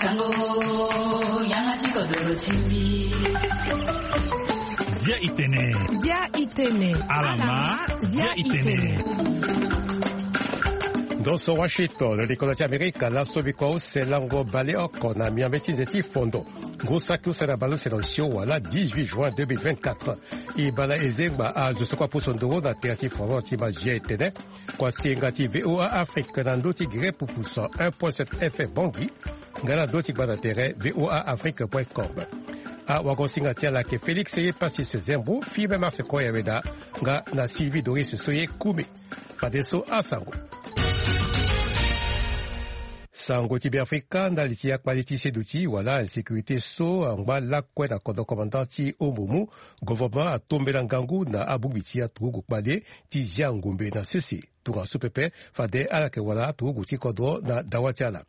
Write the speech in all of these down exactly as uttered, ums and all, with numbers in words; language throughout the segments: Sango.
Sango, yanga ti kodoro ti mbi. Zia itene. Zia itene. Alama, zia itene. Ndo so Washington, likolo ti Amerika, laso bikua use lango baleoko na miombe ti nze ti fondo. Ngu saki use na baleuse na osio wala dix-huit juin deux mille vingt-quatre. E bala e zengba azo so kue apusu nduru na tere ti fondo ti mazia etene. Kua singa ti V O A Afrique na ndö ti Gere Pupusa un point sept F M Bangui, nga na ndö ti gbanda tere V O A Afrique point com. Awagosinga ti ala ayeke Félix Epasis Zembo, Firmin Marse Koyaweda, nga na Sylvie Doris so ye Kumi. Fadeso asango. Sango ti Beafrika, ndali ti akpale ti seduti wala insécurité so angba lakue na kodro commandant ti Ombomou, gouvernement atombela ngangu na abongbi ti aturugu kpale ti zia ngombe na sese. Tongaso pepe, fade ala yeke wara aturugu ti kodro na dawa ti ala.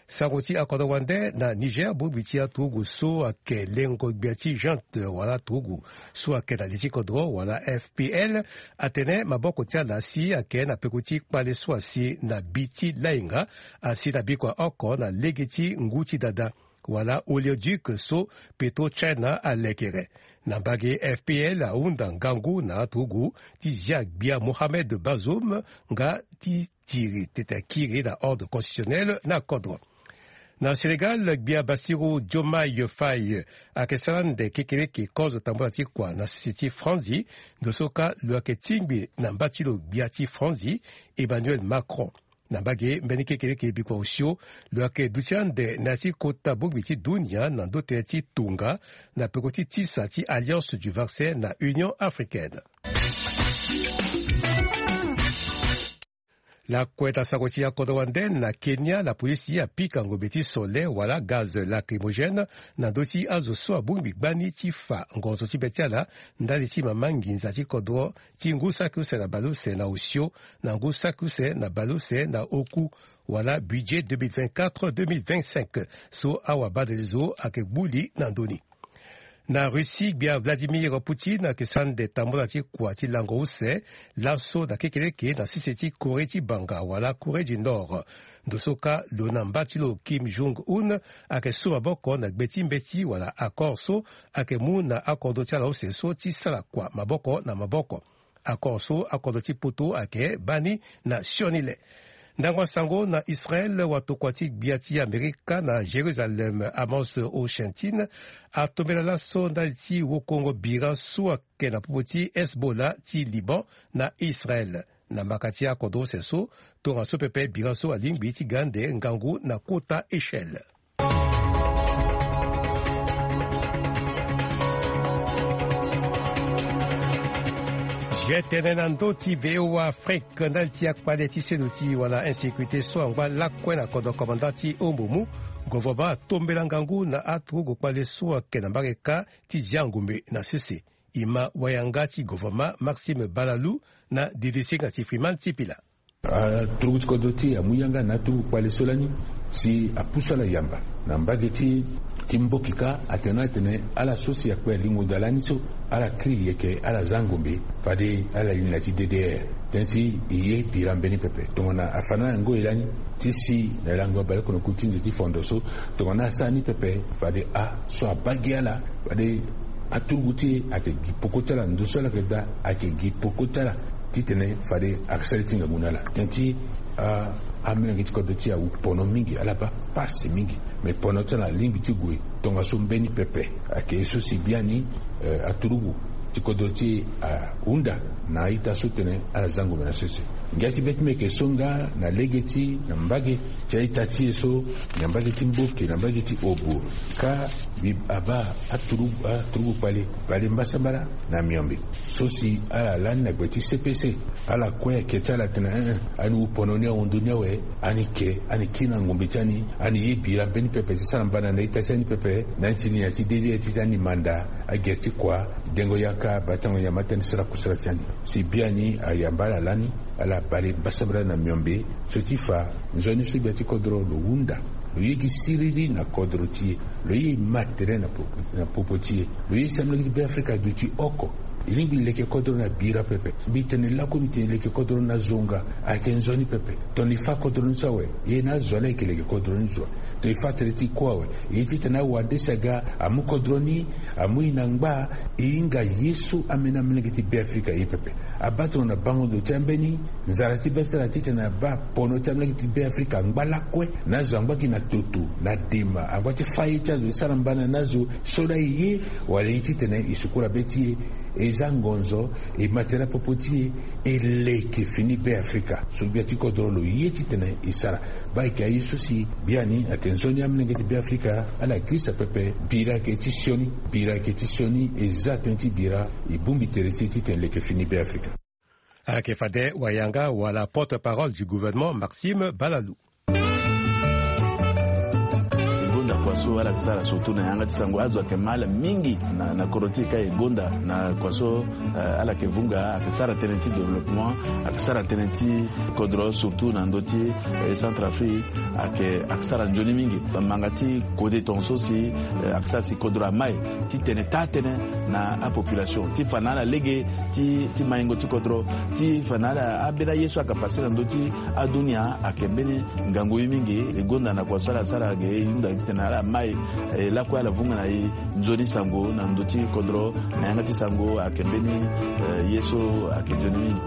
Sango ti akodro wande na Niger, bongbi ti aturugu so ayeke lengo gbia ti Jante wala aturugu so ayeke na li ti kodro wala F P L, atene maboko ti ala si ayeke na peko ti kpale so asi na bi ti lainga, asi na bikua oko na lege ti ngu ti dada wala oléoduc so Petro China alekere. Na mbage, F P L ahunda ngangu na aturugu ti zia gbia Mohamed Bazoum nga ti tiri tete akiri na ordre constitutionnel na kodro. Na Sénégal, gbia Bassirou Diomaye Faye ayeke sara ande kekereke kozo tambula ti kua na sese ti franzi. Ndo so kâ lo yeke tingbi na mba ti lo gbia ti franzi, Emmanuel Macron. Na mbage, mbeni kekereke bikua osio lo yeke duti ande na ya ti kota bongbi ti dunia na ndö tënë ti tonga na peko ti tisa ti Alliance du vaccin na Union africaine. Lakue na sango ti akodro wande, na Kenya, lapolisi apika ngombe ti sole wala gaz lacrymogène na ndö ti azo so abongbi gbani ti fa ngonzo ti be ti ala ndali ti mama nginza ti kodro ti ngu saki use na baleuse na osio na ngu saki use na baleuse na oku wala budget deux mille vingt-quatre deux mille vingt-cinq so awabadelezo ayeke gbu li na ndö ni. Na Russie, gbia Vladimir Poutine ayeke sara ande tambula ti kua ti lango use laso na kekereke na sese ti Corée ti banga wala Corée du Nord. Ndo so kâ lo na mba ti lo Kim Jong-un ayeke su maboko na gbe ti mbeti wala accord so ayeke mu na akodro ti ala use so ti sara kua maboko na maboko. Accord so akodro ti poto ayeke baa ni na sioni le. Ndango asango na Israel, watokua ti gbia ti Amerika na Jérusalem, Amos Hochstein, atombela laso ndali ti wokongo bira so ayeke na popo ti Hezbollah ti Liban na Israel. Na mbaka ti akodro use so, tongaso pepe bira so alingbi ti ga ande ngangu na kota échelle. Zia tënë na ndö ti V O A Afrique, ndali ti akpale ti seduti wala insécurité so angba lakue na kodro commandant ti Ombomou, gouvernement atombela ngangu na aturugu kpale so ayeke na mbage kâ ti zia ngombe na sese. E ma wayanga ti gouvernement Maxime Balalou na didisinga ti Freeman Sipila. Aturugu ti kodro ti e amu yanga na aturugu kpale so lani si apusu ala yamba na mbage ti, ti mboki kâ, atene atene ala so si akpe alingo daa lani so ala kiri yeke ala za ngombe fade ala li na ya ti D D R. Tënë ti e ye bira mbeni pepe tongana afa na ala ngoi lani ti si na lango ya balekono kulu ti nze ti fondo so, tongana asara ni pepe fade aso abaa gi ala fade aturugu ti e ayeke gi peko ti ala, ndo so ala yeke daa ayeke gi peko ti ala titene fade asara ti ngangu na ala. Tënë ti a, amolenge ti kodro ti e awu pono mingi, ala baa pasi mingi. Me pono ti ala alingbi ti gue tongaso mbeni pepe. Ayeke ye so si biani, eh, aturugu ti kodro ti e ahunda na a-ita so tene ala za ngombe na sese. Ngia ti be ti mbi ayeke so nga na lege ti na mbage ti a-ita ti e so, na mbage ti mboki, na mbage ti obo, kâ mbi abaa aturugu, aturugu kpale, kpale mbasambala na miombe so si ala lani na gbe ti C P C. Ala kue ayeke ti ala atene, eh, eh, ani wu pono ni ahundu ni awe, ani ke, ani kiri na ngombe ti ani, ani ye bira mbeni pepe ti sara mbana na a-ita ti ani pepe, na ni ti ni na ya ti D D R titene ani manda agere ti kua, dengo yaka, batango nyama ti ani, sara kusala ti ani. Si biani ayamba ala lani, ala bale mbasambala na miombe so ti fa nzoni so gbia ti kodro lo hunda. Lo ye gi siriri na kodro ti e. Lo ye ma tere na popo, na popo ti e. Lo ye si amolenge ti Beafrika aduti oko. E lingbi leke kodro na bira pepe. Mbi tene laku, mbi tene leke kodro na zo nga. Ayeke nzoni pepe. Tongana e fâ kodro ni so awe, e na azo laa e yeke leke kodro ni zo. So e fâ tënë ti kue awe. E ye titene awande si aga amu kodro ni, amu e na ngba. E hinga ye so ambeni amolenge ti Beafrika aye pepe. Abaa tongana bango ndo ti ambeni nzara ti be ti ala titene abaa pono ti amolenge ti Beafrika angba lakue, na azo angba gi na toto, na dema, angba ti fâ ye ti azo e sara mbana na azo. So laa e ye wala e ye titene e sukula be ti e, e za ngonzo, e matera popo ti e, e leke fini Beafrika. So gbia ti kodro lo ye titene e sara. Baa ayeke aye so si biani ayeke nzoni amolenge ti Beafrika ala girisa pepe. Bira ayeke ti sioni, bira ayeke ti sioni, e za tënë ti bira, e bongbi tere ti e titene e leke fini Beafrika. Ayeke fade wayanga wala porte-parole du gouvernement Maxime Balalou. E gonda kua so ala yeke sara surtout na yanga ti sango, azo ayeke ma ala mingi na, na kodro ti e ka e gonda na kua so, eh, ala yeke vunga, ayeke sara tënë ti développement, ayeke sara tënë ti kodro surtout na ndö ti, eh, Centrafrique, ayeke, ayeke sara nzoni mingi. Manga ti kode tongaso si, eh, ayeke sara si kodro amai titene taa tënë na apopulation ti fa na ala lege ti, ti maingo ti kodro, ti fa na ala ambeni aye so ayeke pase na ndö ti adunia ayeke mbeni ngangu ye mingi. E gonda na kua so ala sara ge e hunda titene ala mai, eh, lakue ala vunga na e nzoni sango na ndö ti kodro, na yanga ti sango ayeke mbeni, eh, ye so ayeke nzoni mingi.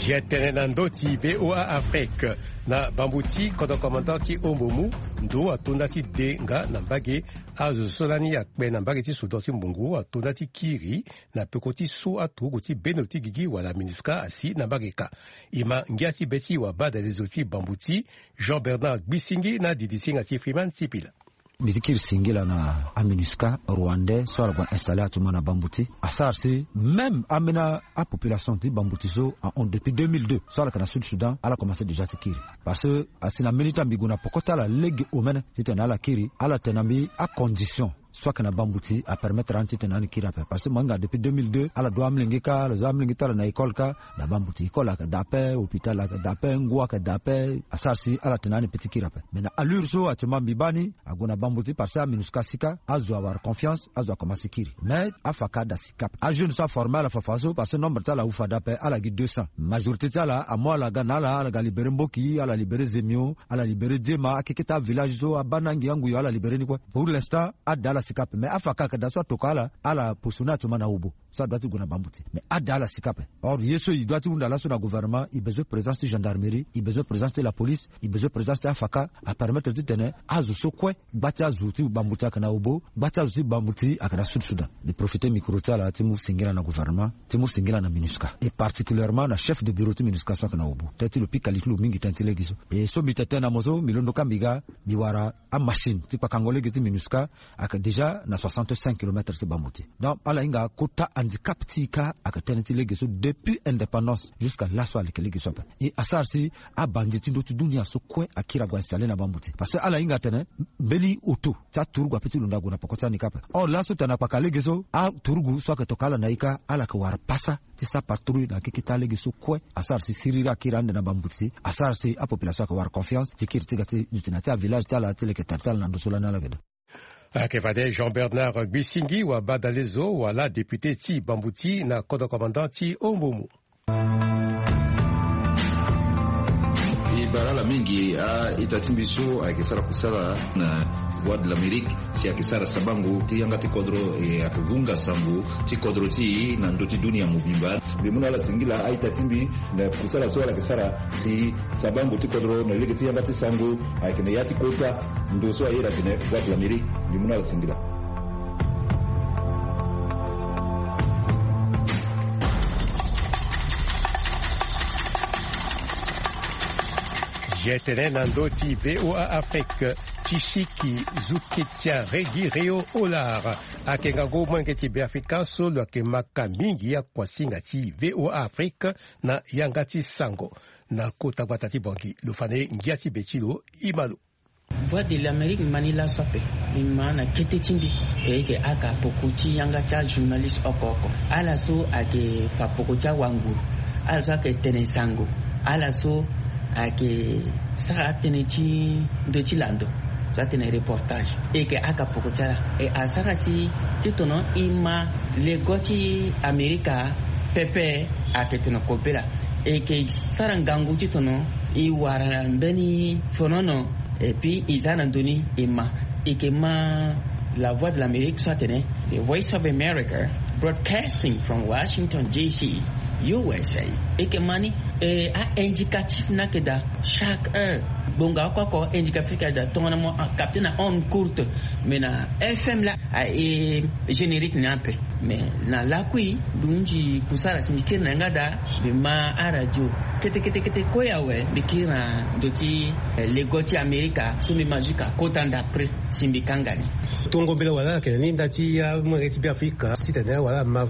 Zia tënë na ndö ti V O A Afrique. Na bambu ti kodro commandant ti Ombomu, ndo atonda ti de nga na mbage. Azo so lani akpe na mbage ti soudor ti mbungu atonda ti kiri na peko ti so aturugu ti bendo ti gigi wala MINUSCA asi na mbage ka. E ma ngia ti be ti wabadalezo ti bambu ti Jean Bernard Gbisingi na didisinga ti Freeman Sipila. Mbi ti kiri singila na aMINUSCA rwandais so ala gue installer actuellement na bambu ti, asara si même ambeni apopulation ti bambu ti so ahon depuis deux mille deux so ala yeke na Sud Soudan, ala commencé déjà ti kiri. Parce que asi na mbeni temps mbi gue na poko ti ala lege omene titene ala kiri, ala tene na mbi acondition so ayeke na bambu ti apermettre ani titene ani kiri ape. Parce que mo hinga depuis deux mille deux ala doit amolenge ka, ala za amolenge ti ala na école ka. Na bambu ti école ayeke daa ape, hôpital ayeke daa ape, ngu ayeke daa ape. Asara si ala tene ani pe ti kiri ape. Mais na allure so actuellement mbi baa ni, ague na bambu ti parce que aMINUSCA si ka, azo awara confiance, azo akomanse kiri. Mais afaka ada si ka ape. Ajeune so aforme ala fafa so parce que nombre ti ala awu fade ape, ala gi deux cents. Majorité ti ala amu ala ga na ala, ala ga libéré Mboki, ala libéré Zemio, ala libéré Diema, akeke ti avillage so abaa na angi anguyo ala libéré ni kue. Pour l'instant ada ala si ka ape. Mais afaka ayeke daa so atokua ala, ala posone actuellement na Obo. So adoit ti gue na bambu ti. Mais ada ala si ka ape. Or ye so e doit ti hunda laso na gouvernement, e besoin présence ti gendarmerie, e besoin présence ti la police, e besoin présence ti afaka, apermettre titene azo so kue, gba ti azo ti bambu ti ayeke na Obo, gba ti azo ti bambu ti ayeke na Sud Soudan. Mbi profité micro ti ala ti mu singila na gouvernement, ti mu singila na MINUSCA, et particulièrement na chef de bureau ti MINUSCA so ayeke na Obo. Tënë ti lo pika li ti lo mingi tënë ti lege so. Et so mbi tene tënë na mo so, mbi londo ka mbi ga, mbi wara amachine ti kpakango lege ti MINUSCA, ayeke déjà na soixante-cinq kilomètres ti bambu ti e. Donc ala hinga kota handicap ti e ka ayeke tënë ti lege so depuis indépendance jusqu'à laso aleke lege so ape. E asara si abandi ti ndö ti dunia so kue akiri ague installer na bambu ti e. Parce que ala hinga atene mbeni auto ti aturugu ape ti londo ague na poko ti ani ka ape. Or laso tene akpaka lege so, aturugu so ayeke tokua ala na e ka, ala yeke wara pasa ti sa patrouille na keke ti alege so kue. Asara si siriri akiri ande na bambu ti e. Asara si apopulation ayeke wara confiance ti kiri ti ga ti duti na ti avillage ti ala ti leke tari ti ala na ndo so lani ala yeke daa. Ayeke fade Jean Bernard Gbisingi, wabadalezo wala député ti bambu ti na kodro commandant ti Ombomu. E bara ala mingi a-ita ti mbi so ayeke sara kusala na Voix de l'Amérique, si ayeke sara sabango ti yanga ti kodro, e ayeke vunga sango ti kodro ti e na ndö ti dunia mobimba. Mbi mu na ala singila a-ita ti mbi na kusala so ala yeke sara si sabango ti kodro na lege ti yanga ti sango ayeke na ya ti kota ndo so ayeda atene Voix de l'Amérique. Mbi mu na ala singila. Zia tënë na ndö ti V O A Afrique. Ti siki Zuketia Regi Reo Olar ayeke ngangu molenge ti Beafrika so lo yeke maka mingi akuasinga ti V O A Afrique na yanga ti sango. Na kota gbata ti Bangui lo fa na e ngia ti be ti lo. E ma lo. Voix de l'Amérique ma ni laso ape. Mbi ma na kete ti mbi e yeke aka poko ti yanga ti ajournaliste oko oko. Ala so ayeke fa poko ti awanguru, ala so ayeke tene sango, ala so ayeke sara atënë ti ndö ti lando so atene reportage. E yeke aka poko ti ala. E asara si ti tono e ma lego ti Amerika pepe. Ayeke tongana kobela e yeke sara ngangu ti tongana e wara mbeni fonono. Et puis e za na ndö ni e ma, e yeke ma la voix de l'amérique so atene the voice of america broadcasting from washington dc, usa. E yeke ma ni e a-indicatif ni ayeke daa chaque heure. Gbonga oko oko indicatif ayeke daa tongana mo capte na onde courte. Mais na fm laa aye générique ni ape. Mais na lakui mbi hunzi kusara si mbi kiri na yanga daa. Mbi ma aradio kete kete kete kue awe mbi kiri na ndö ti lego ti amerika so mbi ma jusque akota ndapre si mbi kanga ni. Tongo mbela wala ayeke na ni nda ti amolenge ti beafrika titene wala ama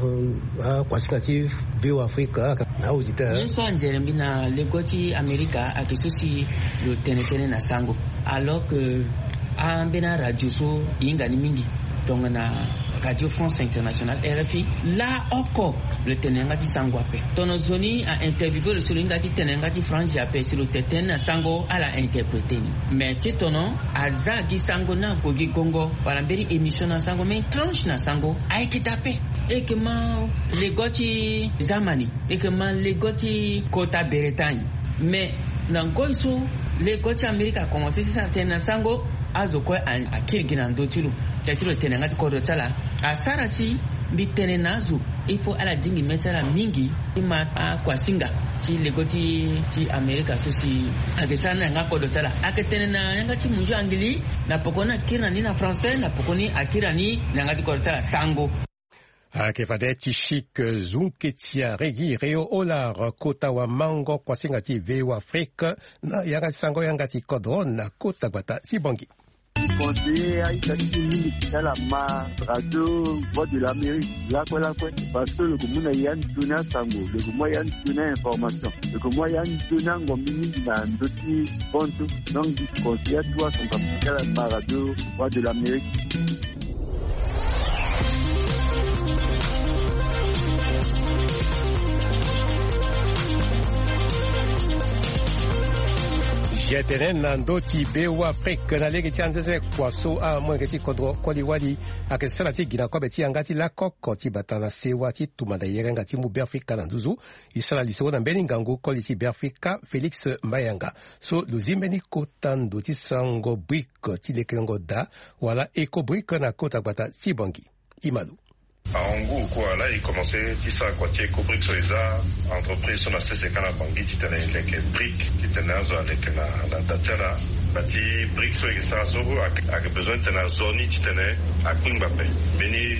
akuasinga ti beafrika. Ahuzi te. Ye so anzere mbi na lego ti amerika ayeke so si lo tene tënë na sango. Alors que ambeni aradio so e hinga ni mingi tongana radio france internationale rfi laa oko lo tene na yanga ti sango ape. Tongana zo ni a-interviewe lo si lo hinga ti tene na yanga ti franzi ape si lo tene tënë na sango ala interprete ni. Mais ti tongana aza gi sango ni ague gi gongo wala mbeni émission na sango mbeni tranche na sango ayeke daa ape. E yeke ma lego ti zamani. E yeke ma lego ti kota bretagne. Mais na ngoi so lego ti amerika akomanse ti sara tënë na sango azo kue akiri gi na ndö ti lo. Tia ti lo tene na yanga ti kodro ti ala asara si mbi tene na azo il faut ala dingi mê ti ala mingi ti ma akuasinga ti lego ti amerika so si ayeke sara ni na yanga kodro ti ala ayeke tene na yanga ti munzu angili. Na poko ni akiri na ni na français na poko ni akiri na ni na yanga ti kodro ti ala sango. Ayeke fade ti chic zunketia regi reo olar kota wamango kuasinga ti veo afrique na yanga ti sango yanga ti kodro na kota gbata ti bongi. Conseiller aita ti mingi ti ala ma radio voix de l'amérique lakue lakue. Parce que lo ko mu na ya ni toni asango lo ko mu ya ni toni ainformation lo ko mu ya ni toni angombi mingi na ndö ti bonto. Donc di conseiller atu asango amu ti ala ma radio voix de l'amérique. Zia tene na ndö ti beafrika na lege ti anzenze kua so amolenge ti kodro koli wali ayeke sara ti gi na kobe ti yanga ti lakoko ti bata na sewa ti tumba na yerenga ti mu beafrika na nduzu. E sara lisoro na mbeni ngangu koli ti beafrika félix mayanga so lo zi mbeni kota ndo ti sango brike ti lekelengo daa wala eko brike na kota gbata ti bongi. Imalo. Awangu kua laa e komanse ti sara kua ti eko brike so e za entreprise so na sese ka na bangi titene e leke brike titene azo aleke na da ti ala. Ba ti brike so e ke sara so ayeke bezoin titene azo ni titene akpingba ape. Mbeni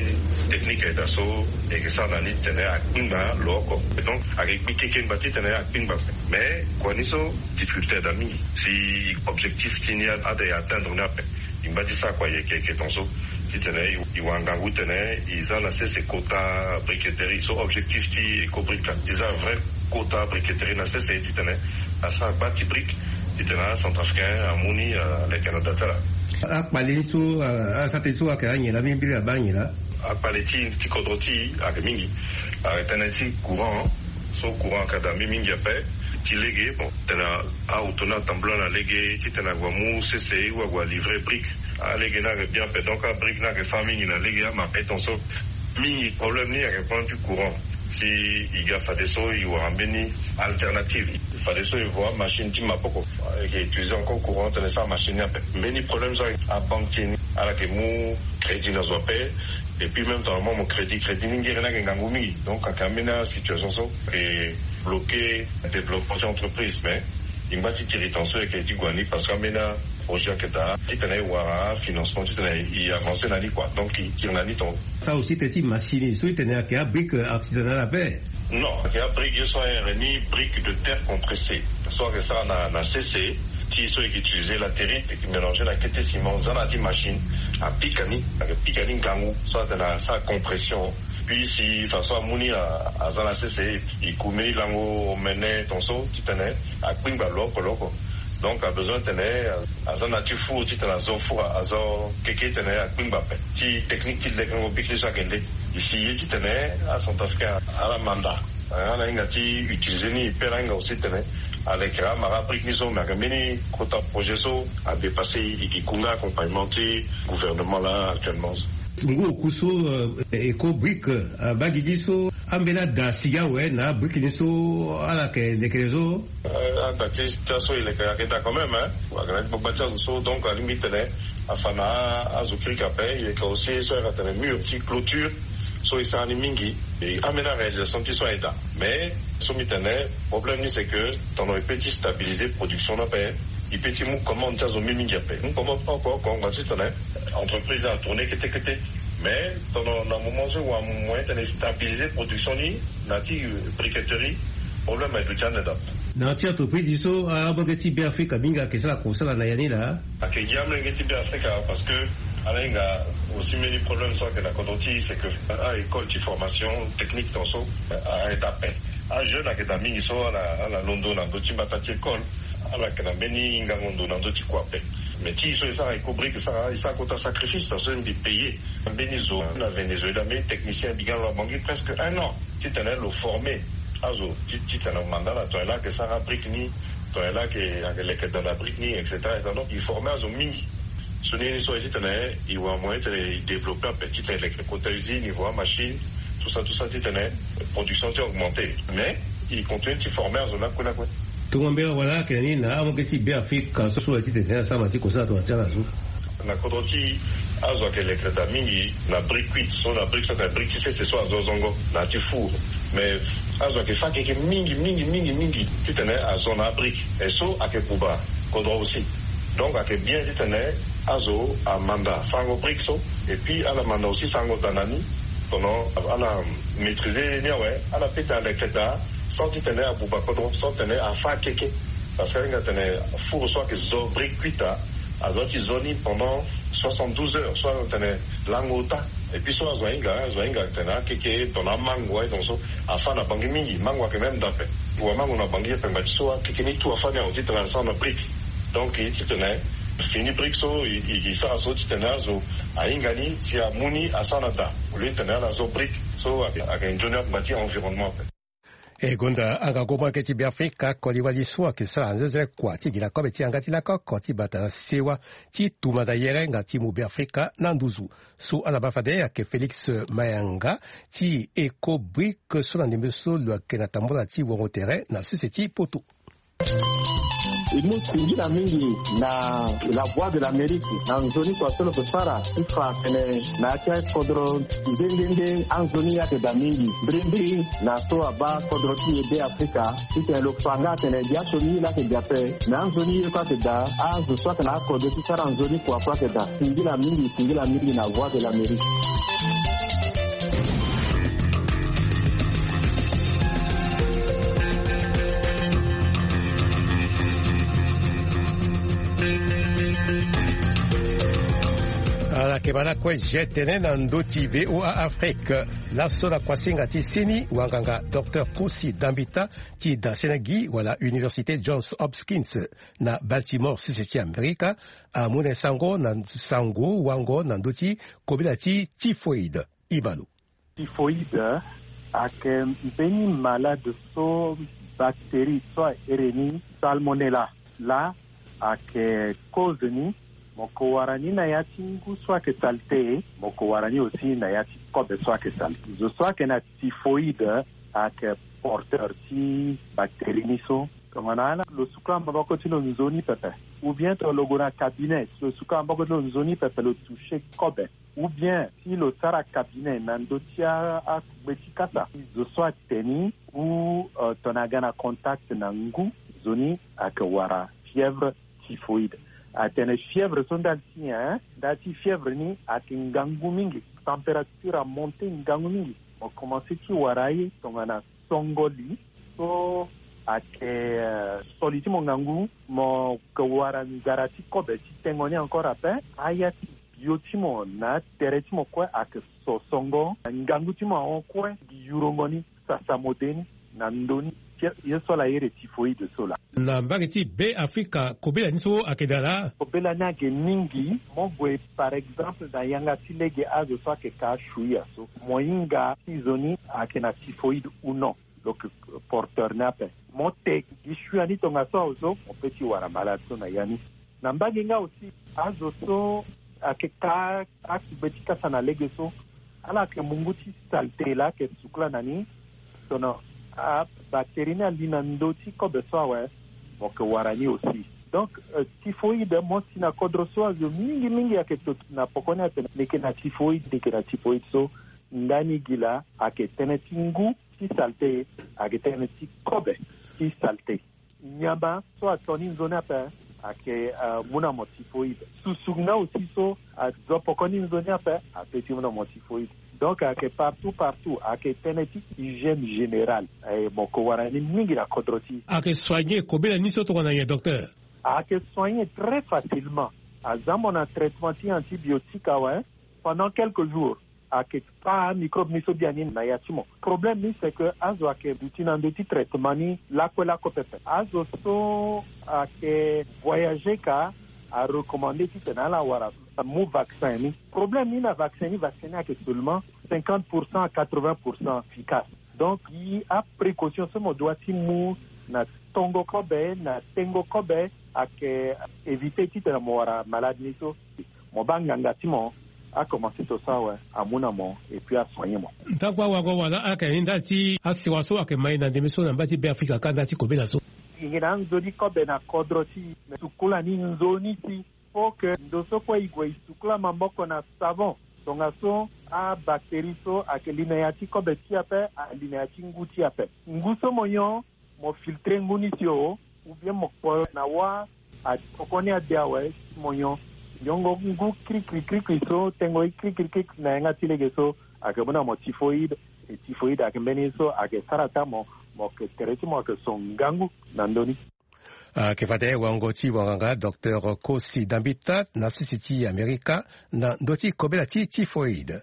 teknike ayeda so e ke sara na ni titene akpingba lo oko. Donc ayeke gbi kekengba titene akpingba ape. Mais kua ni so difficulté ayeda mingi si objectif ti ni ade e atteindre ni ape. E ngba ti sara kua yeke yeke tonso titene e wara ngangu titene e za na sese kota briqueterie so objectif ti eko brike laa e za vrai kota briqueterie na sese titene asara gba ti brike titene acentrafricain amu ni aleke na da ti ala. Akpale ni so asara tënë so ayeke anyen laa mingi mbiri abaa anyen laa. Akpale ti ti kodro ti e ayeke mingi. Ayeke tënë ti courant so courant ayeke daa mingi mingi ape. Ti lege bon tena aoto ni atambula na lege titene ague amu sese ou ague alivre brike. Alege ni ayeke bien ape donc abrike ni ayeke fâ mingi na lege ama ape tonso. Mingi problème ni ayeke problème ti courant. Si e ga fadeso e wara mbeni alternative fadeso e vo amachine ti maboko. E ke utilize encore courant tene sara machine ni ape. Mbeni problème so aye abanque ti e ni ala yeke mu crédit na zo ape. Et puis même temps mo crédit crédit ni ngere ni ayeke ngangu mingi donc ayeke ambeni asituation so e bloke développement ti entreprise mais e ngba ti tiri tonso e yeke ti gue na ni parce que ambeni aprojet ayeke daa titene e wara afinancement titene e avancer na ni kua donc e tiri na ni tonso. Sara aussi tene ti machine so e tene ayeke abrike artisanale ape. Non ayeke abrike ye so ahere ni brike de terre compressée so ayeke sara na sese ti so e ke utiliser latérite e ke mélanger na kete ciment za na ya ti machine. Apika ni ayeke pika ni ngangu so atene asara compression. Puis si façon amu ni aza na sese e kume ni lango omene tonso titene akpingba lo oko lo oko. Donc abezoin tene aza na ti four titene azo four azo keke titene akpingba ape. Ti technique ti lekengo bikili so ayeke nde e si ye titene acentrafricain ala manda. Ala hinga ti utiliser ni pe ala hinga aussi titene alekere amara brike ni so me ayeke mbeni kota projet so adépasser e e ke ku nga accompagnement ti gouvernement laa actuellement. Ngu oku so, euh, eko brique, euh, abaa gi gi so ambeni ada si awe na abrique ni so ala yeke lekere so. Euh, ada ti tia so e leke ayeke daa quand même, hein. Ayeke na ti gbagba ti azo so, donc alingbi titene afa na azo kirika ape. E yeke aussi so ayeke atene mur ti clôture so e sara ni mingi. E ambeni aréalisation ti so aye daa. Mais so mbi tene problème ni c'est que tongana e peut ti stabiliser production ni ape, e peut ti mu commande ti azo mingi mingi ape. Mu commande oko oko ngba titene entreprise atourner kete kete. Mais tongana na moment so e wara moyen titene e stabiliser production ni na ti, euh, briqueterie, problème aye duti ande daa. Na ya ti entreprise so, ah, abonge ti Beafrika mingi ayeke sara kosala na ya ni laa. Ayeke gi amolenge ti Beafrika parce que ala hinga aussi mbeni problème so ayeke na kodro ti e, c'est que a-école ti formation technique ton so, ah, aye daa ape. Ajeune ayeke daa mingi so ala, ala londo na ndö ti mbata ti école. Ala yeke na mbeni hingango ndo na ndö ti kua ape. Mais ti e so e sara eko brique, e sara, e sara kota sacrifice parce que mbi paye mbeni zo na Venezuela, mbeni technicien, mbi ga na lo abongi presque un an titene lo former azo ti, titene lo manda ala tongana e laa ayeke sara brique ni, tongana e laa ayeke, ayeke leke daa na brique ni, et cetera. Donc e former azo mingi. Sioni ye ni so aye titene e wara moyen titene e développer ape titene e leke kota usine, e voa machine, tout ça, tout ça, titene production ti e augmenter. Mais e continue ti former azo lakue lakue. Tongo mbela wala ayeke na ni na amolenge ti Beafrika so, so aye titene asara ti kosala tongana ti ala so. Na kodro ti e, azo ayeke leke daa mingi na brique cuite. So na brique so atene brique ti sese so azo zongo na ya ti four. Mais azo ayeke fâ keke mingi mingi mingi mingi titene azo na abrique. E so ayeke buba kodro aussi. Donc ayeke bien titene azo amanda sarango brique so. Et puis ala manda aussi sarango daa na ni. Tongana ala maîtriser ni awe, ala peut ti leke daa sans titene abuba kodro, sans titene afâ keke. Parce que ahinga titene four so ayeke zo brique cuite, azo ti zo ni pendant soixante-douze heures, so atene lango ota. Et puis so azo ahinga, azo ahinga titene akeke tongana amango aye, donc so afâ na Bangui mingi, mango ayeke même daa ape. Wa mango na Bangui ape, ngba ti so akeke ni tout afâ ni awe titene asara na brique. Donc e titene fini brique so e, e, e sara so titene azo ahinga ni si amu ni asara na daa. Au lieu titene ala zo brique so ayeke, ayeke nzoni angba ti environnement ape. E gonda angangu molenge ti Beafrika koli wali so ayeke sara nzenze kua ti gi na kobe ti yanga ti lakoko ti bata na sewa ti tumba na yere nga ti mu Beafrika na nduzu. So ala baa fade ayeke Félix Mayanga ti Ecobrique so na ndembe so lo yeke na tambula ti wongo tere na sese ti poto. E mu singila mingi na La Voix de l'Amérique na nzoni kua so lo yeke sara ti fa tene na ya ti akodro nde nde nde anzoni ayeke daa mingi. Mbirimbiri na so abaa kodro ti e Beafrika titene lo fa nga atene biasioni ye laa ayeke daa ape. Me anzoni ye kue ayeke daa, azo so ayeke na akodro ti sara nzoni kua kue ayeke daa. Singila mingi, singila mingi na Voix de l'Amérique. Ala yeke baa lakue je tene na ndö ti V O A Afrique. Laso na kuasinga ti seni wanganga docteur Kosi Dambita ti da Sénégal wala Université Johns Hopkins na Baltimore, sese ti Amerika, amu na e sango na sango wango na ndö ti kobela ti typhoïde. Ibalo. Typhoïde ayeke mbeni malade so bactérie so ahere ni Salmonella laa ayeke cause ni. Mo yeke wara ni na ya ti ngu so ayeke salté, mo yeke wara ni aussi na ya ti kobe so ayeke salté. Zo so ayeke na typhoïde ayeke porteur ti bactérie ni so. Tongana ala lo sukula maboko ti lo nzoni pepe, ou bien tongana lo gue na cabinet, si lo sukula maboko ti lo nzoni pepe, lo toucher kobe, ou bien si lo sara cabinet na ndö ti a, agbe ti kasa, zo so atene ni ou, euh, tongana aga na contact na ngu, zo ni ayeke wara fièvre typhoïde. Atene fièvre so ndali ti nyen? Ndali ti fièvre ni ayeke ngangu mingi, température amonte ngangu mingi. Mo commencé ti wara ye tongana songo li so ayeke, euh, so li ti mo ngangu, mo yeke wara nzara ti kobe ti tengo ni encore ape. Aya ti bio ti mo na atere ti mo kue ayeke so songo, ngangu ti mo ahon kue, gi yurongo ni, sasa mo de ni na ndö ni. Ye so ala iri typhoïde so laa. Na mbage ti Beafrika, kobela ni so ayeke daa laa? Kobela ni ayeke mingi. Mo gue par exemple na yanga ti lege azo so ayeke ka shuia so, mo hinga ti zo ni ayeke na typhoïde ou non. Lo yeke porteur ni ape. Mo te gi shuia ni tongaso awe so, mo peut ti wara malade so na ya ni. Na mbage nga aussi, azo so Ayeke ka akugbe ti kasa na lege so. Ala yeke mungu ti saleté laa ayeke sukula na ni. Tongana abactérie ni ali na ndö ti kobe so awe, mo yeke wara ni aussi. Donc, euh, typhoïde mo si na kodro so azo mingi mingi ayeke toto na poko ni atene ni yeke na typhoïde, ni yeke na typhoïde so. Ndani gi laa ayeke tënë ti ngu ti saleté, ayeke tënë ti kobe ti saleté. Nyama so ato ni nzoni ape ayeke, euh, mu na mo typhoïde. Susu nga aussi so azo poko ni nzoni ape ape ti mu na mo typhoïde. Donc ayeke partout partout, ayeke tënë ti hygiène générale. Eh, mo yeke wara ni mingi na kodro ti. Ayeke soigner kobela ni so tongana nyen, docteur? Ayeke soigner très facilement. Aza mo na traitement ti antibiotique awe, pendant quelques jours ayeke kpa microbe ni so biani na ya ti mo. Problème ni c'est que azo ayeke duti na ndö ti traitement ni lakue lakue pepe. Azo so ayeke voyager ka arecommandé titene ala wara amu vaccin ni. Problème ni na vaccin ni, vaccin ni ayeke seulement cinquante pour cent à quatre-vingts pour cent efficace. Donc gi aprécaution so mo doit ti mu na tongo kobe na tengo kobe ayeke éviter titene mo wara malade ni so. Mo baa nganga ti mo akomanse so so awe, amu na mo et puis asoigner mo. Ntangu awango wala ayeke ni ndali ti asewa so ayeke ma e na ndembe so na mba ti Beafrika ka ndali ti kobela so. E yeke na anzoni kobe na kodro ti e, me sukula ni nzoni ti. Faut que ndo so kue e gue e sukula maboko na savon. Tongaso abactérie so ayeke li na ya ti kobe ti e ape, ali na ya ti ngu ti e ape. Ngu so mo nyon, mo filtrer ngu ni si o, ou bien mo kpo na wâ, atokoni ade awe si mo nyon. Nyongo ngu krikri krikri so, tengo ye krikri krikri na yanga ti lege so, ayeke mu na mo typhoïde. E typhoïde ayeke mbeni ye so ayeke sara ata mo, mo yeke tere ti mo ayeke so ngangu na ndö ni. Ayeke fade wango ti wanganga docteur Kosi Dambita na sese ti Amerika na ndö ti kobela ti typhoïde.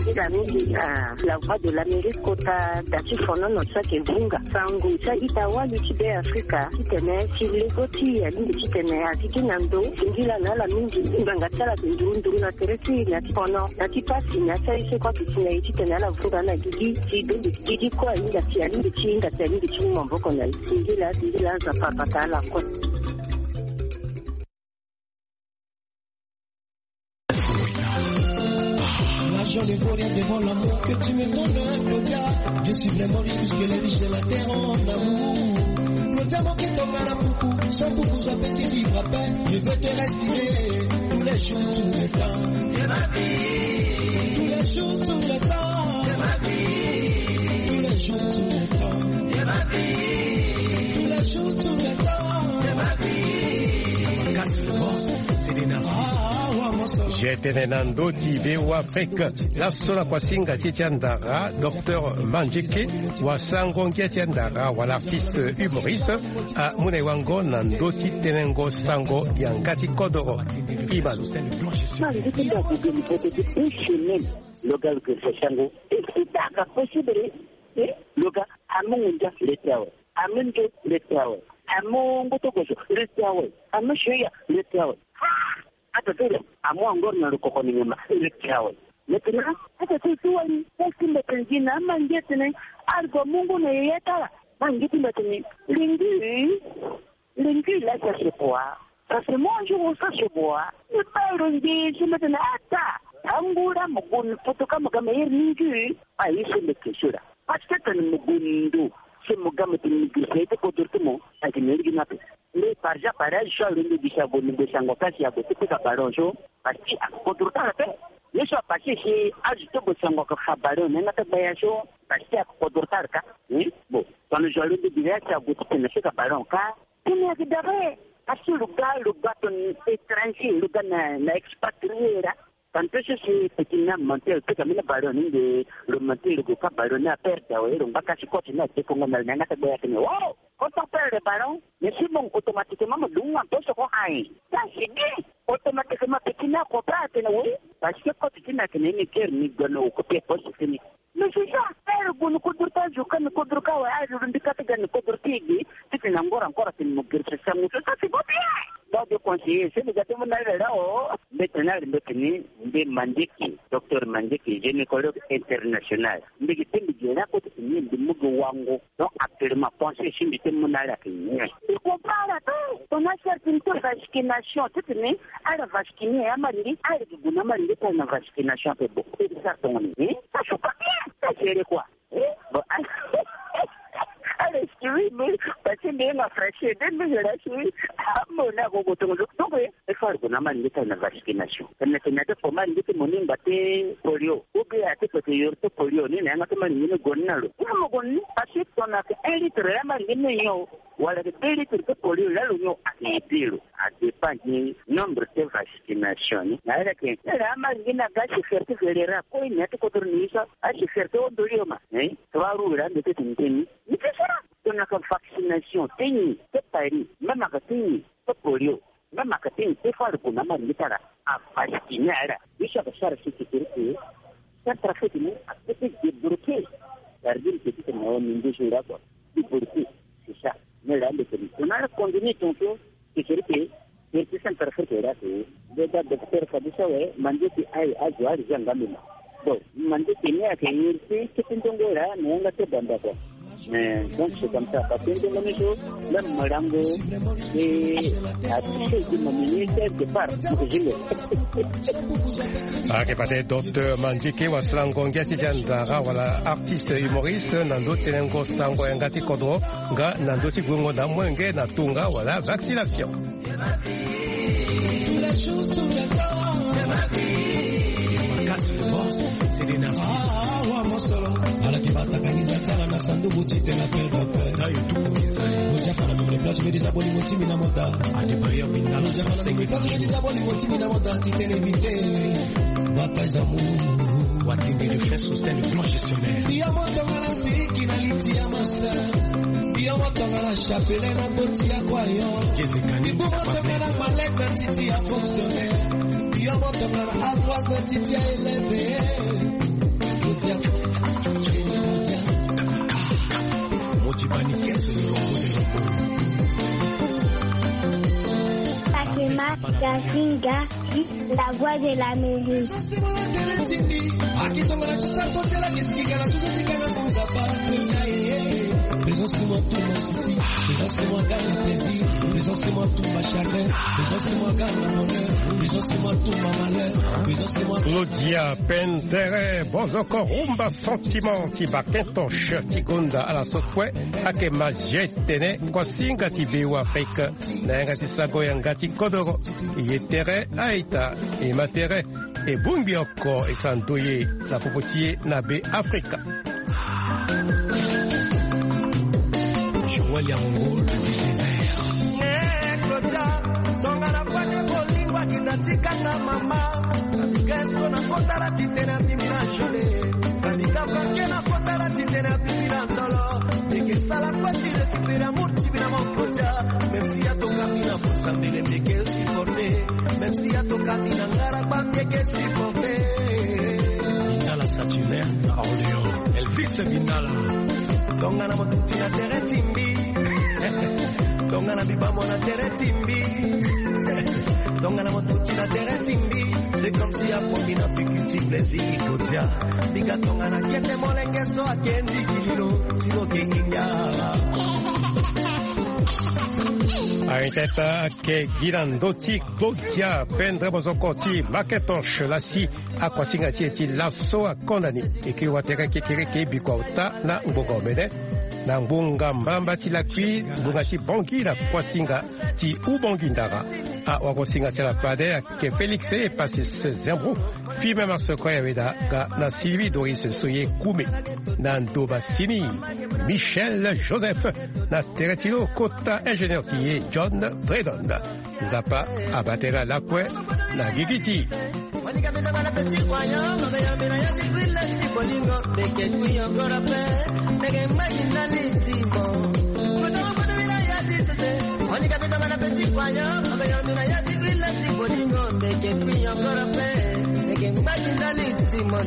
Ndila mingi na La Voix de l'Amérique kota da ti fonono so ayeke vunga sango ti a-ita-wali ti Beafrika titene ti lego ti e alingbi titene a gigi na ndo. Singila na ala mingi nganga ti ala ayeke nduru nduru na tere ti e na ti fono na ti pasi na ya ti aye so kue ayeke si na e titene ala vunga na gigi ti dongi gigi kue ahinga ti alingbi ti hinga ti alingbi ti mu maboko na e. Singila singila Nzapa abata ala kue. L'argent ne vaut rien devant l'amour que tu me donnes, Claudia. Je suis vraiment riche puisque les riches de la terre ont l'amour. Claudia, mon qui tombe à la poucou, sans poucou, ça peut vivre à peine. Je veux te respirer tous les jours, tout le temps. De ma vie. Tous les jours, tout le temps. De ma vie. Tous les jours, tout le temps. De ma vie. Tous les jours, tout le temps. De ma vie. Je tene na ndö ti V O A Afrique. Laso na kuasinga ti e ti andara, docteur Manjeke, wasango ngia ti andara wala artiste humoriste, amu na e wango na ndö ti tenengo sango yanga ti kodoro. Iba lo. Ma ngu ti nda gue ni poto ti une semaine. Lo ga lo gue sango. Est-ce que ça possible? Eh, lo ga amu ngu ndia le ti awe. Amu ndio le ti awe. Amu ngu ti gozo le ti awe. Amu shoya le ti awe. Ah! Ata ti lo amu angor na lo koko ni nyama le ti awe. Maintenant ata ti lo ti wali, ti mbetene gi na ama ngia tene, a lo gue amu ngu na yaya ti ala. Ma ngia ti mbetene lingui. Lingui là, ça se boit. Ça se mange ou ça se boit. Ni baa lo nge so mbetene ata. Angura mo gue ni poto ka mo ga meilleur lingui. Ah, ye so mbi question là. Parce que tene mo gue ndo, si mo ga mo tene mo gi si aye ti kodro ti mo, ayeke na lege ni ape. Nde par exemple, par exemple, so alondo gi si ague, mo gue sango ka si ague ti pika ballon so, parce que ayeke kodro ti ala ape. Ye so apase si azo ti gue sango ayeke fa ballon na yanga ti gbaya so, parce que ayeke kodro ti ala ka. Bon, tongana zo alondo gi si ague ti tene na pika ballon ka. Tene ayeke dabe. Parce que lo ga, lo ga tongana étranger, lo ga na, na expatrié laa. Tantôt so si petit ni amonté, lo pika mbeni ballon ni nde lo monté, lo gue ka ballon ni aperde awe, lo ngba ka si coach ni adekongo na lo na yanga ti gbaya atene, oh, quand on perd le ballon, mais si bon, automatiquement mo dungu nga mpe so ko aye. Ça c'est bien. Automatiquement petit ni acomprendre atene oui, parce que coach ti ni atene ni keri ni gue na occupé poste ti ni. Mais c'est ça. Ere gue ni kodro ti azo ka, ni kodro ka awe, azo lo mbi ka ti ga ni kodro ti e ge titene angora encore atene mo gere so sango so, ça c'est pas bien. Donc je conseille, si mbi ga ti mu na ala laa o, mbetene ala, mbetene mbi Manjeke, docteur Manjeke, gynécologue international. Mbi gi ti mbi gi laa kue titene mbi mu gi wango. Donc actuellement conseil si mbi ti mu na ala ayeke nyen? Mbi comprendre ala te. On a cherché Nto vasquination ti tene ala vasquine amalingi, ala gi gue na amalingi ti ala na vasquination ape. Bon, e sara tongana ni, eh? Ça joue pas bien, ça géré quoi? Eh? Bon, ala excuse me, parce que mbi yanga français, de mbi géré si amo na gogo tongo. Donc, eh, e fâ ala gue na amalingi ti ala na vasquination. Tene tene ade fo amalingi ti mo ni ngba ti polio. Ou bien ate fete yoro ti polio ni na yanga ti amalingi ni gue ni na lo. Ni mo gue ni, parce que tongana ake un litre ya amalingi ni nyon. Wala ake deux litres ti polio, la lo nyon ake ye ti lo. A dépend ni nombre ti vasquination ni. Na ala ake, ala amalingi na ga sécurité générale. Ko ni ate kodro ni sa, a sécurité o ndoli yo ma. Eh? Trois roues la mbi te ti ni te ni. Ni te sara. Tongana ake vaccination te ni, te paris, même ake te ni, te polio. Même aka ti ni te fâ ala gue na amalingi ti ala, a vasquine ala. Biso aka sara si ti kiri ke centrafrique ni a peut débloquer. Gardien petit na wa mingi jour la quoi. Débloquer, c'est ça. Mais là le petit on a continué ton tour. C'est kiri ke, kiri ti centrafrique la ke. Nde da docteur Fabrice awe, mande ti aye azo ala zia nga mbi ma. Bon, mande ti ni ake yeri ti kete ndongo la na yanga ti banda quoi. Mais donc c'est comme ça, parce que ndongo ni so, même malango, et à toucher du mamini quelque part, pour que je le. Ake fade docteur Mandike wasala ngongi ti dia ndara wala artiste humoriste na ndo tenengo sango yanga ti kodro nga na ndo ti gwengo na mwenge na tunga wala vaccination. Tous les jours, tous les temps. Makas le boss, c'est le narcisse. Ah, wa mosolo. Ala ki bataka ni za tala na sanduku ti tena pe dope. Tayo tuku ni za. Oja kana mimle place me disa boli mo timi na mota. Ade bayo bindala. Oja kana mimle place me disa boli mo timi na mota ti tene mite. Bataille d'amour. Watindi le frère Sosten, le grand gestionnaire. Yo mo tongana siriki na liti ya ma sœur. Yo mo tongana chapelet na boti ya kwa yo. Jezekani. Ibu mo tongana malette na titi ya fonctionnaire. Yo mo tongana ardoise na titi ya élève. Modia. Modia. Motibani kese le rongo de rongo. Takema Gazinga. La voix de l'Amérique. Présence sur moi tout mon souci. Présence sur moi tout mon gars de plaisir. Présence sur moi tout ma chagrin. Présence sur moi gars de bonheur. Présence sur moi tout ma malheur. Présence sur moi. Claudia Pendere, bozoko rumba sentiment ti bakento ti gonda ala so kue ake mazie tene kuasinga ti Beoafrika. Na yanga ti sago yanga ti kodoro. Ye tere aita, e ma tere, e bongbi oko e sa ndoye na popo ti e na Beafrika. Joël Yamongo, le désert. Eh, Claudia, tongana fade bolingo akita ti kanga mama. Gesto na kota la ti tene abimi na jole. Kani kaka ke na kota la ti tene abimi na ndolo. Mbi ke sala kue ti récupérer amour ti mbi na mon Claudia. Même si ya toka mbi na posa mbele mbi ke supporter. Même si ya toka mbi na ngara gba mbi ke supporter. Bindala Saturnin na Orléans. Elvis Bindala. Tongana mo tuti na terrain ti mbi. Tongana mbi bâ mo na terrain ti mbi. Tongana mo tuti na terrain ti mbi. C'est comme si apo mbi na piki ti plaisir kodia. Mbi ga tongana kete molenge so ake nzikililo. Sino ke inga. Aye teta ake gi na ndö ti Claudia Pendre bozoko ti Macintosh lasi akuasinga ti e ti laso akondani. E ke watere kekereke bikua ota na ngbonga omene. Na ngbonga mbamba ti lakui, ngbonga ti Bangui na kuasinga ti Ubangui Ndara. Awagosinga ti ala fade ake Félix Epasis Zembro, Firmin Marcel Koyaweda, ga na Sylvie Doris Soye Koumé. Na ndo masini, Michel Joseph, na tere ti lo kota ingénieur ti e John Bredon. Nzapa abaa tënë lakue na gigi ti.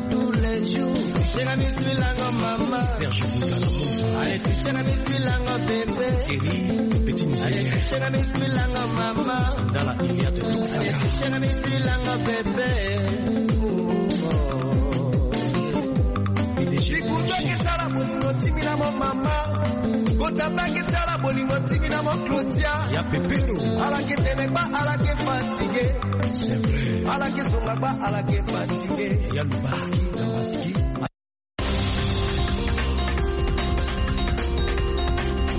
Tous les jours. Serge Boutalamo. Allez, touche na misu lango bébé. Thierry, petit Nigeria. Allez, touche na misu lango mama. Dans la Iliade, tout ça. Allez, touche na misu lango bébé. P D G. Bikuto ke sala bolingo ti mbi na mo mama. Ko Tabangi tala bolingo timi na mo Claudia. Ya pepero. Ala ke tene ba, ala ke fatigué. C'est vrai. Ala ke songa ba, ala ke fatigué. Ya lubaski, lubaski.